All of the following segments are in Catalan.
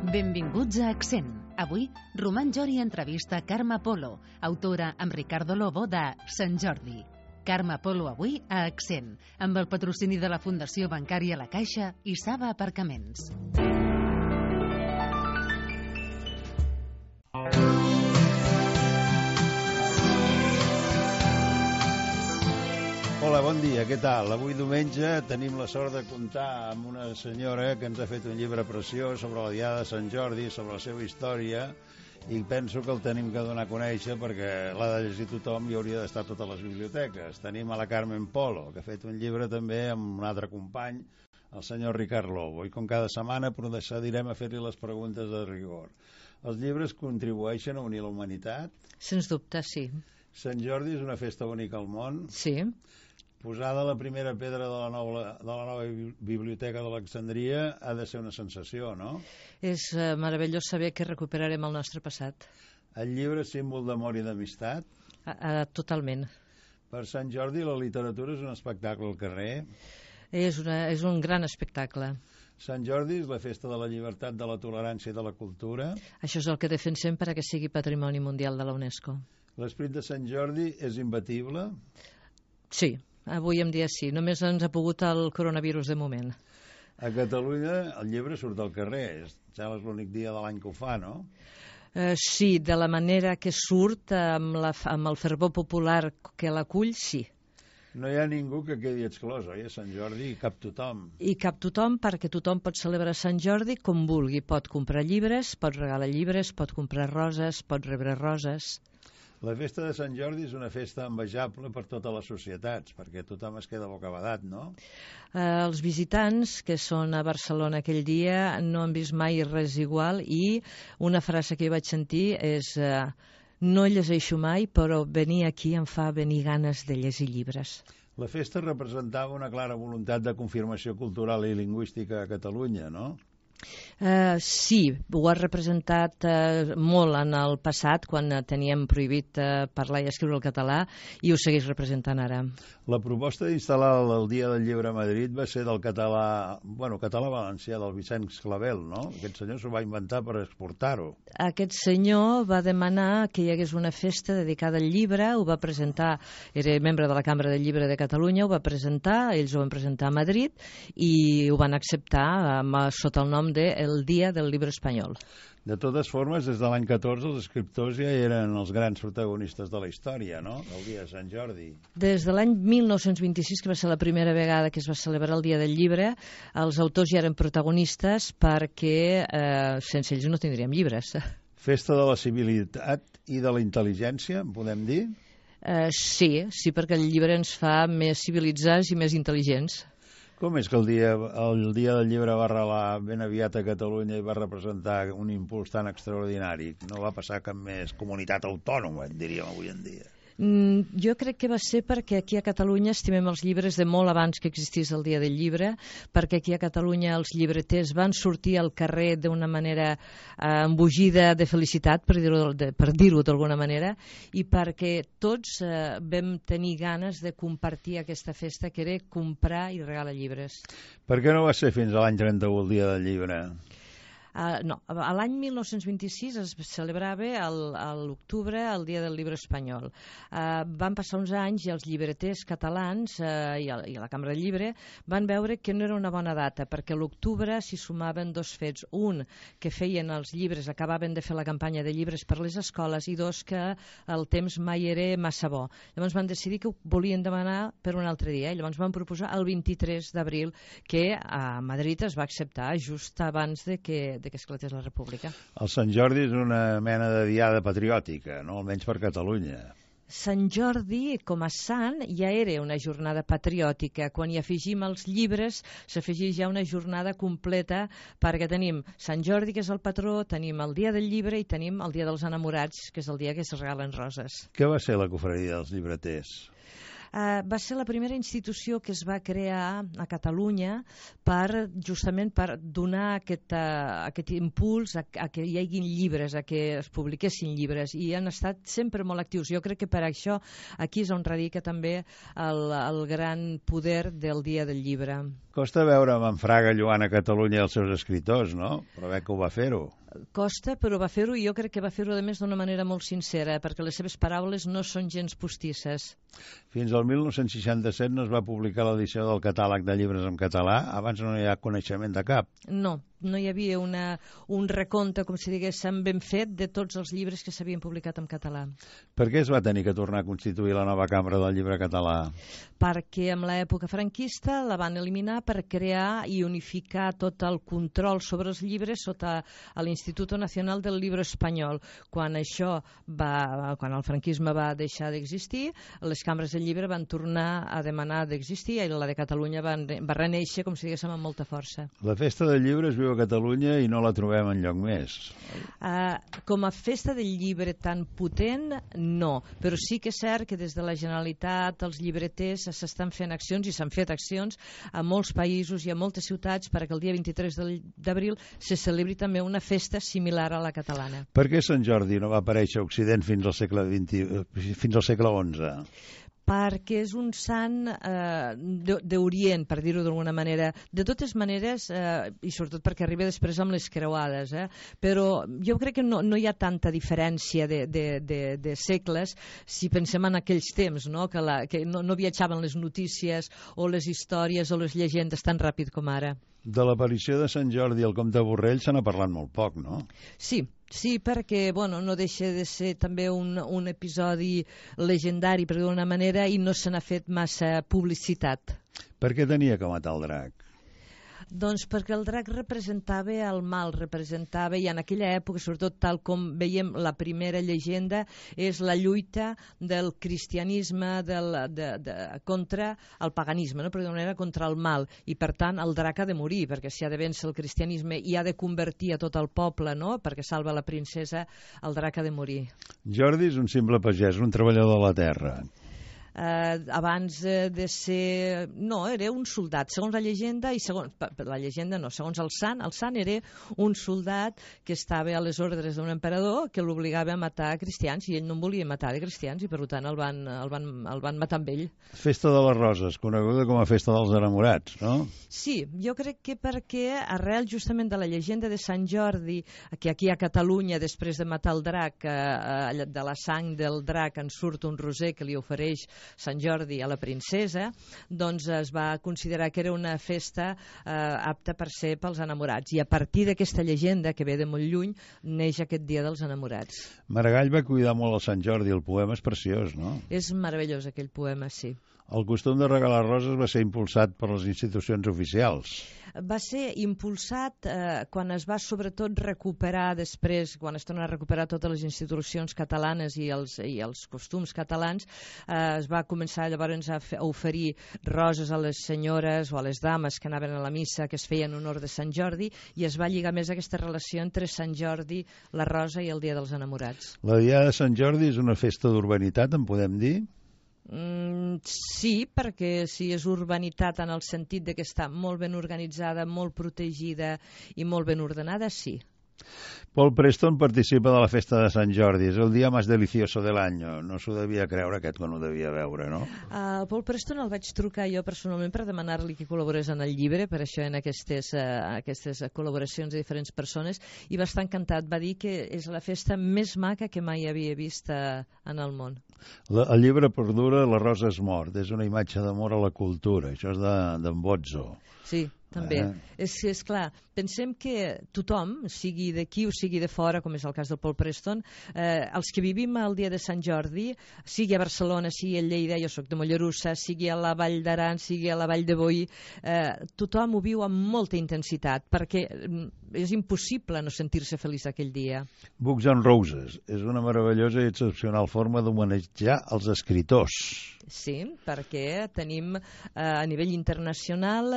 Benvinguts a Accent. Avui, Roman Jori entrevista Carme Polo, autora amb Ricardo Lobo de Sant Jordi. Carme Polo avui a Accent, amb el patrocini de la Fundació Bancària La Caixa i Saba Aparcaments. Hola, bon dia, què tal? Avui diumenge tenim la sort de comptar amb una senyora que ens ha fet un llibre preciós sobre la Diada de Sant Jordi, sobre la seva història, i penso que el tenim que donar a conèixer perquè l'ha de llegir tothom i hauria d'estar a totes les biblioteques. Tenim a la Carmen Polo, que ha fet un llibre també amb un altre company, el senyor Ricard Lobo, i com cada setmana procedirem a fer-li les preguntes de rigor. Els llibres contribueixen a unir la humanitat? Sens dubte, sí. Sant Jordi és una festa única al món? Sí. Posada la primera pedra de la nova biblioteca d'Alexandria ha de ser una sensació, no? És meravellós saber que recuperarem el nostre passat. El llibre és símbol d'amor i d'amistat? Totalment. Per Sant Jordi la literatura és un espectacle al carrer? És un gran espectacle. Sant Jordi és la festa de la llibertat, de la tolerància i de la cultura? Això és el que defensem perquè sigui Patrimoni Mundial de la UNESCO. L'esperit de Sant Jordi és imbatible? Sí. Avui en dia sí, només ens ha pogut el coronavirus de moment. A Catalunya el llibre surt al carrer, és l'únic dia de l'any que ho fa, no? Sí, de la manera que surt, amb el fervor popular que l'acull, sí. No hi ha ningú que quedi exclòs, oi? A Sant Jordi hi cap tothom. Hi cap tothom perquè tothom pot celebrar Sant Jordi com vulgui. Pot comprar llibres, pot regalar llibres, pot comprar roses, pot rebre roses. La festa de Sant Jordi és una festa envejable per totes les societats, perquè tothom es queda bocabadat, no? Els visitants que són a Barcelona aquell dia no han vist mai res igual i una frase que jo vaig sentir és no llegeixo mai, però venir aquí em fa venir ganes de llegir llibres. La festa representava una clara voluntat de confirmació cultural i lingüística a Catalunya, no? Sí, ho ha representat molt en el passat, quan teníem prohibit parlar i escriure el català, i ho segueix representant ara. La proposta d'instal·lar el Dia del Llibre a Madrid va ser del català valencià, del Vicenç Clavel, no? Aquest senyor s'ho va inventar per exportar-ho. Aquest senyor va demanar que hi hagués una festa dedicada al llibre, ho va presentar, era membre de la Cambra del Llibre de Catalunya, ho va presentar, ells ho van presentar a Madrid, i ho van acceptar sota el nom de El Dia del Llibre Espanyol. De totes formes, des de l'any 14 els escriptors ja eren els grans protagonistes de la història, no? El Dia de Sant Jordi. Des de l'any 1926, que va ser la primera vegada que es va celebrar el Dia del Llibre, els autors ja eren protagonistes perquè sense ells no tindríem llibres. Festa de la civilitat i de la intel·ligència, podem dir? Sí, perquè el llibre ens fa més civilitzats i més intel·ligents. Com és que el dia del llibre va arrelar ben aviat a Catalunya i va representar un impuls tan extraordinari? No va passar cap més comunitat autònoma, diríem avui en dia. Jo crec que va ser perquè aquí a Catalunya estimem els llibres de molt abans que existís el Dia del Llibre, perquè aquí a Catalunya els llibreters van sortir al carrer d'una manera embogida de felicitat, per dir-ho d'alguna manera, i perquè tots vam tenir ganes de compartir aquesta festa, que era comprar i regalar llibres. Per què no va ser fins a l'any 31 el Dia del Llibre? No, a l'any 1926 es celebrava a l'octubre el Dia del Llibre Espanyol. Van passar uns anys i els llibreters catalans i la Cambra del Llibre van veure que no era una bona data, perquè a l'octubre s'hi sumaven dos fets. Un, que feien els llibres, acabaven de fer la campanya de llibres per les escoles, i dos, que el temps mai era massa bo. Llavors van decidir que ho volien demanar per un altre dia, i llavors van proposar el 23 d'abril, que a Madrid es va acceptar just abans de que esclatés la República. El Sant Jordi és una mena de diada patriòtica, no? Almenys per Catalunya. Sant Jordi, com a sant, ja era una jornada patriòtica. Quan hi afegim els llibres, s'afegeix ja una jornada completa, perquè tenim Sant Jordi, que és el patró, tenim el Dia del Llibre i tenim el Dia dels Enamorats, que és el dia que es regalen roses. Què va ser la confraria dels llibreters? Va ser la primera institució que es va crear a Catalunya justament per donar aquest impuls a que hi haguin llibres, a que es publiquessin llibres, i han estat sempre molt actius. Jo crec que per això aquí és on radica també el gran poder del Dia del Llibre. Costa veure Manfraga lloant a Catalunya els seus escriptors, no? Però bé que ho va fer-ho. Costa, però va fer-ho, i jo crec que va fer-ho a més d'una manera molt sincera, perquè les seves paraules no són gens postisses. Fins al 1967 no es va publicar l'edició del catàleg de llibres en català, abans no hi ha coneixement de cap. No hi havia un recompte, com si diguéssim, ben fet de tots els llibres que s'havien publicat en català. Per què es va tenir que tornar a constituir la nova cambra del llibre català? Perquè en l'època franquista la van eliminar per crear i unificar tot el control sobre els llibres sota l'Instituto Nacional del Libro Espanyol. Quan el franquisme va deixar d'existir, les cambres del llibre van tornar a demanar d'existir, i la de Catalunya va renéixer, com si diguéssim, amb molta força. La festa del llibre es viu a Catalunya i no la trobem enlloc més. Com a festa del llibre tan potent, no. Però sí que és cert que des de la Generalitat els llibreters s'estan fent accions, i s'han fet accions a molts països i a moltes ciutats perquè el dia 23 d'abril se celebri també una festa similar a la catalana. Per què Sant Jordi no va aparèixer a Occident fins al segle XI? Perquè és un sant d'Orient, per dir-ho d'alguna manera. De totes maneres, i sobretot perquè arriba després amb les creuades, però jo crec que no hi ha tanta diferència de segles si pensem en aquells temps, no? Que no viatjaven les notícies o les històries o les llegendes tan ràpid com ara. De l'aparició de Sant Jordi al Comte Borrell se n'ha parlat molt poc, no? Sí, perquè no deixa de ser també un episodi legendari, per dir-ho d'una manera, i no se n'ha fet massa publicitat. Per què tenia que matar el drac? Doncs perquè el drac representava el mal, i en aquella època, sobretot tal com veiem la primera llegenda, és la lluita del cristianisme contra el paganisme, no? Per dir-ho d'una manera, contra el mal, i per tant el drac ha de morir, perquè si ha de vèncer el cristianisme i ha de convertir a tot el poble, no? Perquè salva la princesa, el drac ha de morir. Jordi és un simple pagès, un treballador de la terra. Abans de ser... No, era un soldat, segons la llegenda, i segons el sant era un soldat que estava a les ordres d'un emperador que l'obligava a matar cristians, i ell no en volia matar de cristians, i per tant el van matar amb ell. Festa de les Roses, coneguda com a Festa dels Enamorats, no? Sí, jo crec que perquè arrel justament de la llegenda de Sant Jordi, que aquí a Catalunya, després de matar el drac, de la sang del drac en surt un roser que li ofereix Sant Jordi a la princesa, doncs es va considerar que era una festa apta per ser pels enamorats, i a partir d'aquesta llegenda, que ve de molt lluny, neix aquest Dia dels Enamorats. Maragall va cuidar molt el Sant Jordi, el poema és preciós, no? És meravellós aquell poema, sí. El costum de regalar roses va ser impulsat per les institucions oficials. Va ser impulsat quan es va sobretot recuperar després, quan es tornen a recuperar totes les institucions catalanes i els costums catalans, es va començar llavors a oferir roses a les senyores o a les dames que anaven a la missa, que es feia en honor de Sant Jordi, i es va lligar més aquesta relació entre Sant Jordi, la rosa i el Dia dels Enamorats. La Diada de Sant Jordi és una festa d'urbanitat, en podem dir? Sí, perquè si és urbanitat en el sentit de que està molt ben organitzada, molt protegida i molt ben ordenada, sí. Paul Preston participa de la festa de Sant Jordi. És el dia més delicioso de l'any. No s'ho devia creure aquest quan ho devia veure, no? Paul Preston el vaig trucar jo personalment per demanar-li que col·laborés en el llibre, per això en aquestes col·laboracions de diferents persones, i va estar encantat. Va dir que és la festa més maca que mai havia vist en el món. El llibre perdura, la rosa és mort. És una imatge d'amor a la cultura. Això és d'en Bozzo. Sí, també. És clar, pensem que tothom, sigui d'aquí o sigui de fora, com és el cas del Paul Preston, els que vivim el dia de Sant Jordi, sigui a Barcelona, sigui a Lleida, jo soc de Mollerussa, sigui a la Vall d'Aran, sigui a la Vall de Boí, tothom ho viu amb molta intensitat, perquè és impossible no sentir-se feliç aquell dia. Books and Roses és una meravellosa i excepcional forma d'homenatjar els escriptors. Sí, perquè tenim a nivell internacional,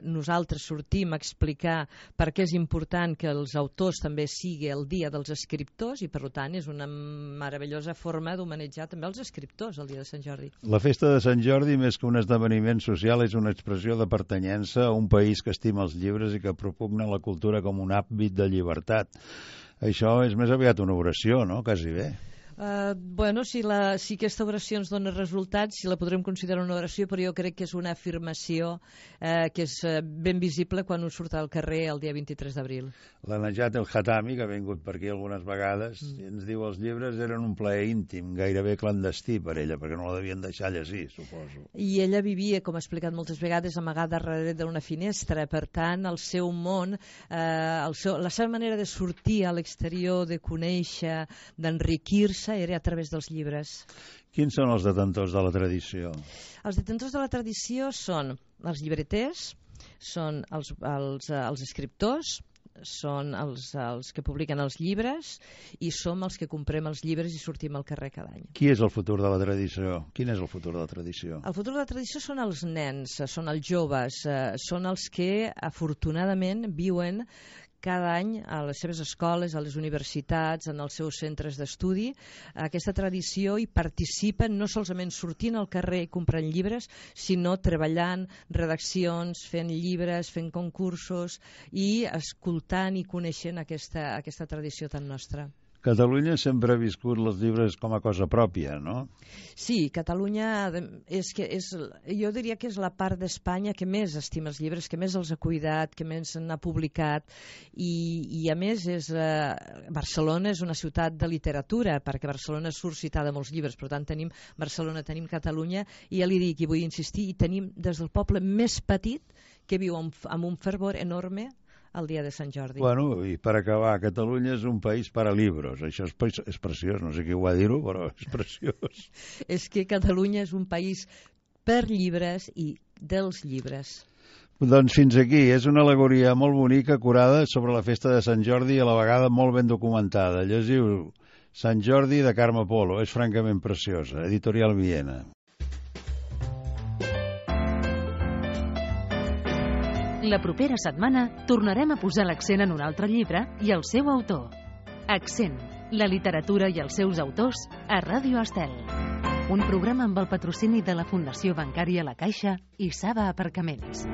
nosaltres sortim a explicar per què és important que els autors també sigui el dia dels escriptors i per tant és una meravellosa forma d'homenatjar també els escriptors el dia de Sant Jordi. La festa de Sant Jordi, més que un esdeveniment social, és una expressió de pertanyença a un país que estima els llibres i que propugna la cultura com un hàbit de llibertat. Això és més aviat una oració, no? Quasi bé. Bueno, si aquesta oració ens dona resultats, si la podrem considerar una oració, però jo crec que és una afirmació que és ben visible quan un surt al carrer el dia 23 d'abril. La Najat El Hatami, que ha vingut per aquí algunes vegades, ens diu els llibres eren un plaer íntim, gairebé clandestí per ella, perquè no la devien deixar llegir, suposo. I ella vivia, com ha explicat moltes vegades, amagada darrere d'una finestra, per tant, el seu món, la seva manera de sortir a l'exterior, de conèixer, d'enriquir-se, era a través dels llibres. Quins són els detentors de la tradició? Els detentors de la tradició són els llibreters, són els escriptors, són els que publiquen els llibres i som els que comprem els llibres i sortim al carrer cada any. Qui és el futur de la tradició? Quin és el futur de la tradició? El futur de la tradició són els nens, són els joves, són els que afortunadament viuen cada any a les seves escoles, a les universitats, en els seus centres d'estudi. Aquesta tradició hi participen no solament sortint al carrer i comprant llibres, sinó treballant redaccions, fent llibres, fent concursos i escoltant i coneixent aquesta tradició tan nostra. Catalunya sempre ha viscut els llibres com a cosa pròpia, no? Sí, Catalunya jo diria que és la part d'Espanya que més estima els llibres, que més els ha cuidat, que més n'ha publicat i a més Barcelona és una ciutat de literatura, perquè Barcelona surt citada a molts llibres, per tant tenim Barcelona, tenim Catalunya i ja li dic i vull insistir, i tenim des del poble més petit que viu amb un fervor enorme el dia de Sant Jordi. Bueno, i per acabar, Catalunya és un país per a llibres. Això és preciós, no sé qui ho va dir-ho, però és preciós. És que Catalunya és un país per llibres i dels llibres. Doncs fins aquí. És una al·legoria molt bonica, curada, sobre la festa de Sant Jordi i a la vegada molt ben documentada. Llegiu Sant Jordi de Carme Polo. És francament preciosa. Editorial Viena. La propera setmana tornarem a posar l'accent en un altre llibre i el seu autor. Accent, la literatura i els seus autors a Ràdio Estel. Un programa amb el patrocini de la Fundació Bancària La Caixa i Saba Aparcaments.